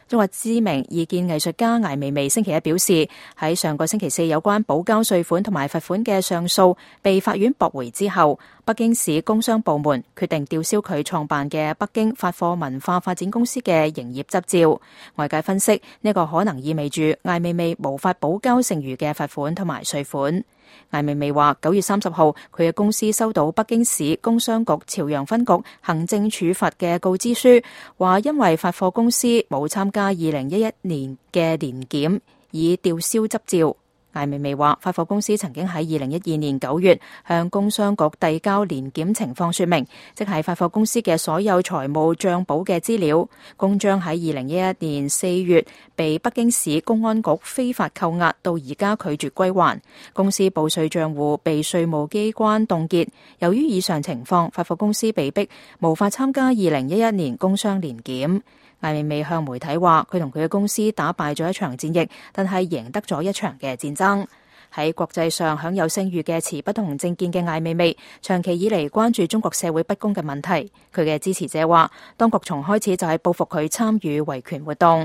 中國知名異見藝術家艾未未星期一表示，喺上個星期四有關補交稅款同埋罰款嘅上訴被法院駁回之後，北京市工商部門決定吊銷佢創辦嘅北京發貨文化發展公司嘅營業執照。外界分析，呢個可能意味住艾未未無法補交剩餘嘅罰款同埋稅款。艾未未話，9月30號佢嘅公司收到北京市工商局朝陽分局行政處罰嘅告知書，話因為發貨公司冇參加2011年嘅年檢，以吊銷執照。艾未未話，發貨公司曾經喺2012年9月向工商局遞交年檢情況說明，即係發貨公司嘅所有財務賬簿嘅資料。公章喺2011年4月被北京市公安局非法扣押，到而家拒絕歸還。公司報稅賬戶被稅務機關凍結。由於以上情況，發貨公司被逼無法參加2011年工商年檢。艾未未向媒體話，佢同佢嘅公司打敗咗一場戰役，但係贏得咗一場嘅戰爭。喺國際上享有聲譽嘅持不同政見嘅艾未未，長期以嚟關注中國社會不公嘅問題。佢嘅支持者話，當局從開始就係報復佢參與維權活動。